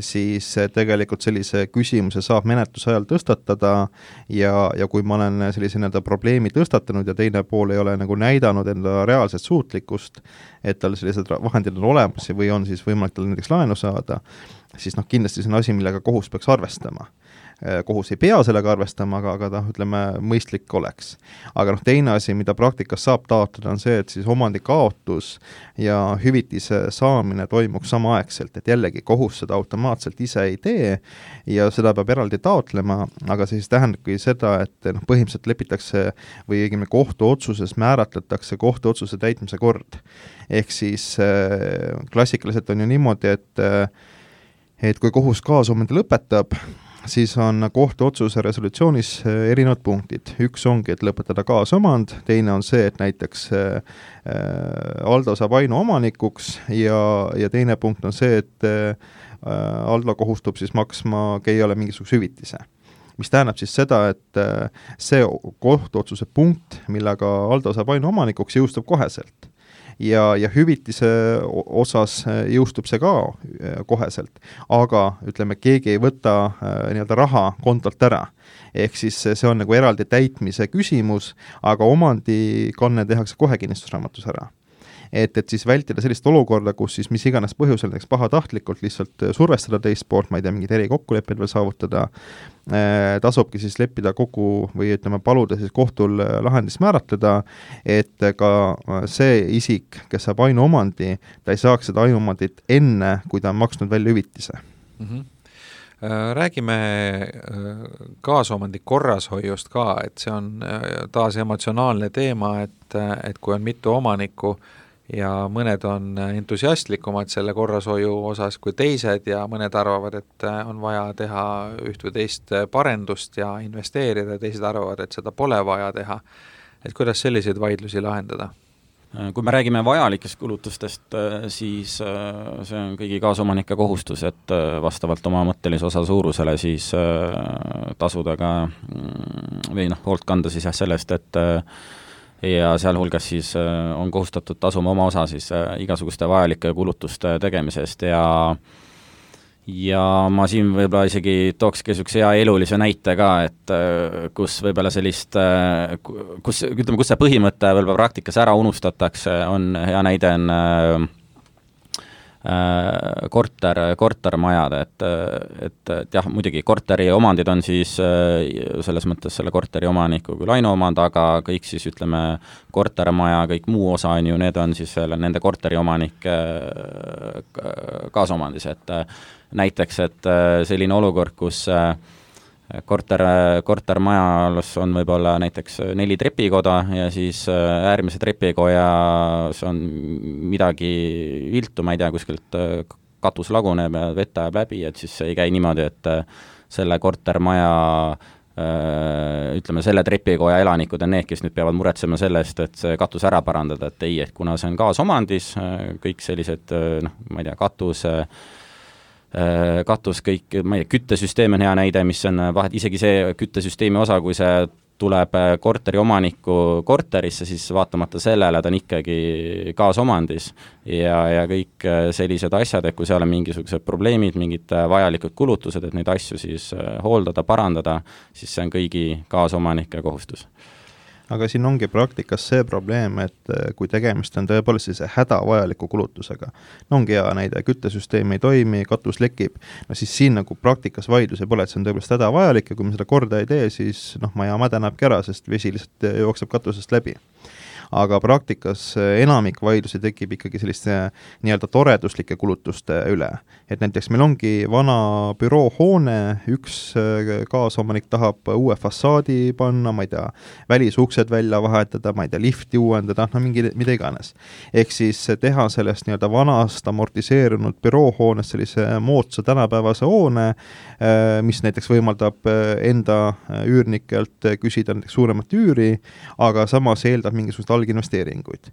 E: siis tegelikult sellise küsimuse saab menetluse ajal tõstatada ja kui ma olen sellise probleemi tõstatanud ja teine pool ei ole nagu näidanud enda reaalset suutlikkust, et tal sellised vahendid on olemas või on siis võimalik tal näiteks laenu saada, siis kindlasti see on asi, millega kohus peaks arvestama. Kohus ei pea sellega arvestama, aga ütleme, mõistlik oleks. Aga teine asi, mida praktikas saab taotleda, on see, et siis omandi kaotus ja hüvitise saamine toimuks samaaegselt, et jällegi kohus seda automaatselt ise ei tee ja seda peab eraldi taotlema, aga siis tähendabki seda, et põhimõtteliselt lepitakse või õigemini kohtuotsuses määratletakse kohtuotsuse täitmise kord. Ehk siis klassikaliselt on ju niimoodi, et kui kohus kaasomandi lõpetab, siis on kohtuotsuse resolutsioonis erinevad punktid. Üks ongi, et lõpetada kaasomand, teine on see, et näiteks Aldo saab ainuomanikuks ja teine punkt on see, et Aldo kohustub siis maksma Keiole mingisuguse hüvitise. Mis tähendab siis seda, et see kohtuotsuse punkt, millega Aldo saab ainuomanikuks, jõustub koheselt. Ja hüvitise osas jõustub see ka koheselt, aga ütleme, keegi ei võta nii-öelda raha kontolt ära. Ehk siis see on nagu eraldi täitmise küsimus, aga omandikanne tehakse kohe kinnistusraamatus ära. Et siis vältida sellist olukorda, kus siis mis iganes põhjusel näiteks pahatahtlikult lihtsalt survestada teist poolt, ma ei tea, mingid erikokkulepped veel saavutada, tasubki siis leppida kogu või ütleme, paluda siis kohtul lahendist määratleda, et ka see isik, kes saab ainuomandi, ta ei saaks seda ainuomandit enne, kui ta on maksnud välja hüvitise.
C: Räägime kaasomandi korrashoiust ka, et see on taas emotsionaalne teema, et kui on mitu omanikku ja mõned on entusiastlikumad selle korrashoiu osas kui teised ja mõned arvavad, et on vaja teha üht või teist parendust ja investeerida, teised arvavad, et seda pole vaja teha. Et kuidas selliseid vaidlusi lahendada?
D: Kui me räägime vajalikest kulutustest, siis see on kõigi kaasomanike kohustus, et vastavalt oma mõttelise osa suurusele siis tasuda ka või hoolt kanda siis sellest, et ja sealhulgas siis on kohustatud tasuma oma osa siis igasuguste vajalike kulutuste tegemisest ja ma siin võib-olla isegi tookski niisuguse hea elulise näite ka, et kus võib-olla sellist, kus see põhimõte võib-olla praktikas ära unustatakse, on hea näide on kortermajad, et jah, muidugi korteri omandid on siis selles mõttes selle korteri omaniku kui laenuomand, aga kõik siis ütleme kortermaja, kõik muu osa on ju, need on siis nende korteri omanike kaasomandis, et näiteks, et selline olukord, kus kortermajas on võib-olla näiteks 4 trepikoda ja siis äärmise trepikojas on midagi viltu, ma ei tea, kuskilt katus laguneb ja vett ajab läbi, et siis ei käi niimoodi, et selle kortermaja ütleme, selle trepikoja elanikud on need, kes nüüd peavad muretsema sellest, et see katus ära parandada, et ei, et kuna see on kaasomandis, kõik sellised, ma ei tea, katus kõik, ma ei tea, küttesüsteem on hea näide, mis on vahet, isegi see küttesüsteemi osa, kui see tuleb korteri omaniku korterisse, siis vaatamata sellele ta on ikkagi kaasomandis ja kõik sellised asjad, et kui seal on mingisugused probleemid, mingid vajalikud kulutused, et neid asju siis hooldada, parandada, siis see on kõigi kaasomanike kohustus.
E: Aga siin ongi praktikas see probleem, et kui tegemist on tõepoolest sellise hädavajaliku kulutusega, ongi hea näide, küttesüsteem ei toimi, katus lekib, no siis siin nagu praktikas vaidlus ei pole, et see on tõepoolest hädavajalik ja kui me seda korda ei tee, siis maja mädanebki ära, sest vesi lihtsalt jookseb katusest läbi. Aga praktikas enamik vaidlusi tekib ikkagi selliste nii-öelda toreduslike kulutuste üle. Et näiteks meil ongi vana büroohoone, üks kaasomanik tahab uue fassaadi panna, ma ei tea, välisuksed välja vahetada, ma ei tea, lifti uuendada, mida iganes. Ehk siis teha sellest nii-öelda vanast amortiseerunud büroohoonest sellise moodsa tänapäevase hoone, mis näiteks võimaldab enda üürnikelt küsida näiteks suuremat üüri, aga samas eeldab mingisugust alginvesteeringuid.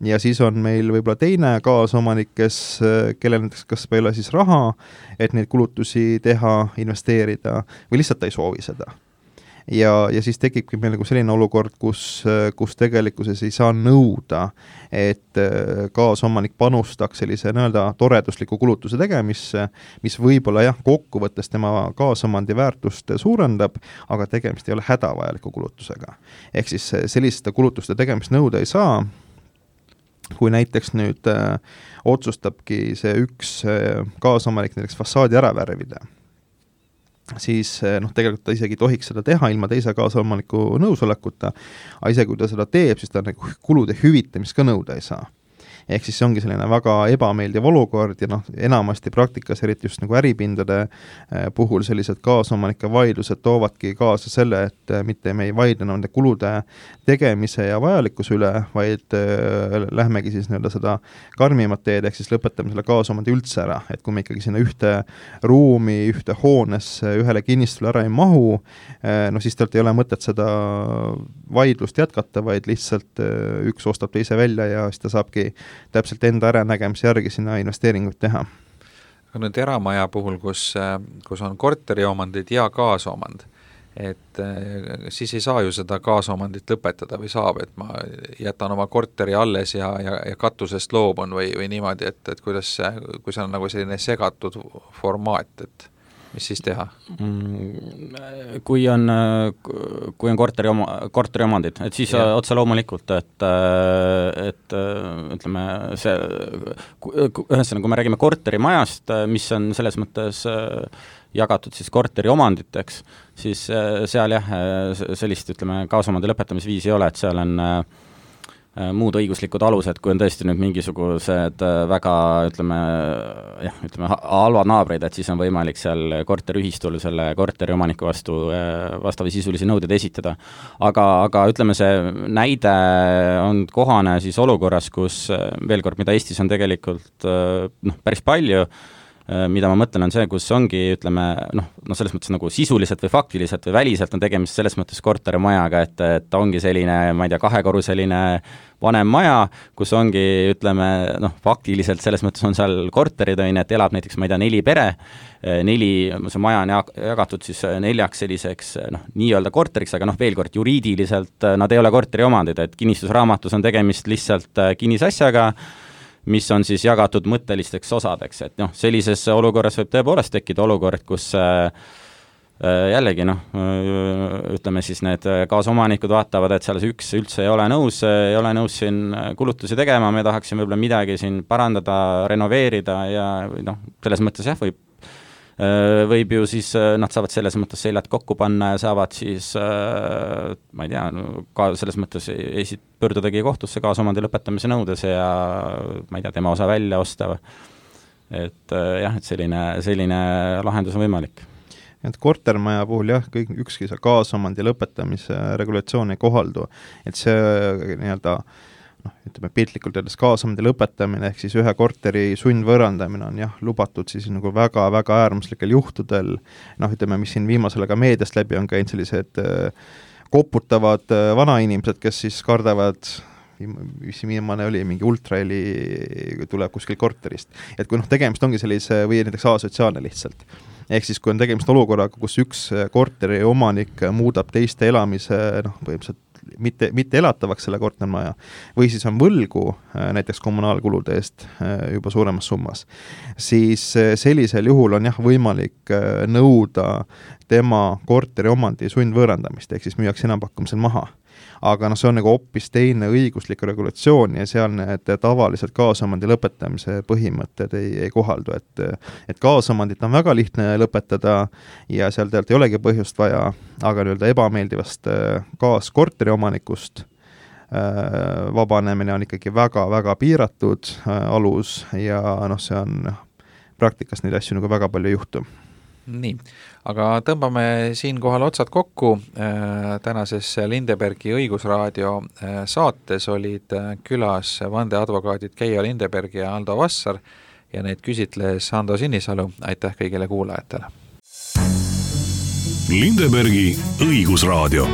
E: Ja siis on meil võib-olla teine kaasomanik, kellel näiteks kas ei ole siis raha, et neid kulutusi teha, investeerida või lihtsalt ei soovi seda. Ja siis tekibki meil nagu selline olukord, kus tegelikkuses ei saa nõuda, et kaasomanik panustaks sellise nõelda toredusliku kulutuse tegemisse, mis võib-olla jah, kokkuvõttes tema kaasomandi väärtust suurendab, aga tegemist ei ole hädavajaliku kulutusega. Ehk siis selliste kulutuste tegemist nõuda ei saa, kui näiteks nüüd otsustabki see üks kaasomanik näiteks fassaadi ära värvida, siis tegelikult ta isegi tohiks seda teha ilma teise kaasomaniku nõusolekuta, aga isegi kui ta seda teeb, siis ta nagu kulude hüvitamist ka nõuda ei saa. Ehk siis see ongi selline väga ebameeldiv olukord ja enamasti praktikas, eriti just nagu äripindade puhul sellised kaasomanike vaidlused toovadki kaasa selle, et mitte me ei vaidle nende kulude tegemise ja vajalikkuse üle, vaid lähmegi siis seda karmimat teed, ehk siis lõpetame selle kaasomandi üldse ära, et kui me ikkagi sinna ühte ruumi, ühte hoonesse, ühele kinnistule ära ei mahu, siis talt ei ole mõtet seda vaidlust jätkata, vaid lihtsalt üks ostab teise välja ja siis ta saabki täpselt enda äranägemise järgi sinna investeeringuid teha.
C: Aga nüüd eramaja puhul, kus on korteriomandid ja kaasomand, et siis ei saa ju seda kaasomandit lõpetada või saab, et ma jätan oma korteri alles ja katusest loobun või niimoodi, et kuidas kui see on nagu selline segatud formaat, et mis siis teha?
D: Kui on korteriomandid, et siis otse loomulikult, et ütleme, ühesõnaga, kui me räägime korterimajast, mis on selles mõttes jagatud siis korteriomanditeks, siis seal jah, sellist, ütleme, kaasomandi lõpetamisviisi ei ole, et seal on muud õiguslikud alused, kui on tõesti nüüd mingisugused väga, ütleme, halvad naabrid, et siis on võimalik seal korteriühistul selle korteriomaniku vastu vastava sisulisi nõudeid esitada. Aga ütleme, see näide on kohane siis olukorras, kus veel kord, mida Eestis on tegelikult päris palju, mida ma mõtlen, on see, kus ongi, ütleme, selles mõttes nagu sisuliselt või faktiliselt või väliselt on tegemist selles mõttes korterimajaga, et ongi selline, ma ei tea, 2-korruseline vanem maja, kus ongi, ütleme, faktiliselt selles mõttes on seal korterid, et elab näiteks, ma ei tea, 4 pere, 4, see maja on jagatud siis 4 selliseks nii-öelda korteriks, aga veel kord, juriidiliselt nad ei ole korteriomandid, et kinnistusraamatus on tegemist lihtsalt kinnisasjaga, mis on siis jagatud mõttelisteks osadeks, et noh, sellises olukorras võib tõepoolest tekkida olukord, kus jällegi ütleme siis need kaasomanikud vaatavad, et seal üks üldse ei ole nõus siin kulutusi tegema, me tahaksime võib-olla midagi siin parandada, renoveerida ja selles mõttes jah, võib ju siis, nad saavad selles mõttes seljad kokku panna ja saavad siis, ma ei tea, ka selles mõttes pöördudagi kohtusse kaasomandi lõpetamise nõudes ja ma ei tea, tema osa välja osta. Et jah, et selline lahendus on võimalik.
E: Et kortermaja puhul jah, ükski kaasomandi lõpetamise regulatsioon ei kohaldu, et see nii-öelda ütleme piltlikult öeldes kaasomandi lõpetamine ehk siis ühe korteri sundvõõrandamine on jah, lubatud siis nagu väga-väga äärmuslikel juhtudel, ütleme, mis siin viimasel ka meediast läbi on käinud sellised koputavad vanainimesed, kes siis kardavad, mis viimane oli, mingi ultraheli tuleb kuskil korterist. Et kui tegemist ongi sellise või näiteks asotsiaalne lihtsalt. Ehk siis, kui on tegemist olukorraga, kus üks korteri omanik muudab teiste elamise põhimõtteliselt mitte elatavaks selle kortermaja või siis on võlgu näiteks kommunaalkulude eest juba suuremas summas, siis sellisel juhul on jah võimalik nõuda tema korteri omandi sundvõõrandamist, ehk siis müüakse enampakkumisel maha. Aga see on nagu hoopis teine õiguslik regulatsioon ja seal need tavaliselt kaasomandi lõpetamise põhimõtted ei kohaldu, et kaasomandit on väga lihtne lõpetada ja seal tegelikult ei olegi põhjust vaja, aga ebameeldivast kaaskorteri omanikust vabanemine on ikkagi väga-väga piiratud alus ja see on praktikas neid asju väga palju juhtu.
C: Nii, aga tõmbame siinkohal otsad kokku. Tänases Lindebergi õigusraadio saates olid külas vandeadvokaadid Keijo Lindeberg ja Aldo Vassar ja neid küsitles Ando Sinisalu. Aitäh kõigile kuulajatele!
B: Lindebergi õigusraadio.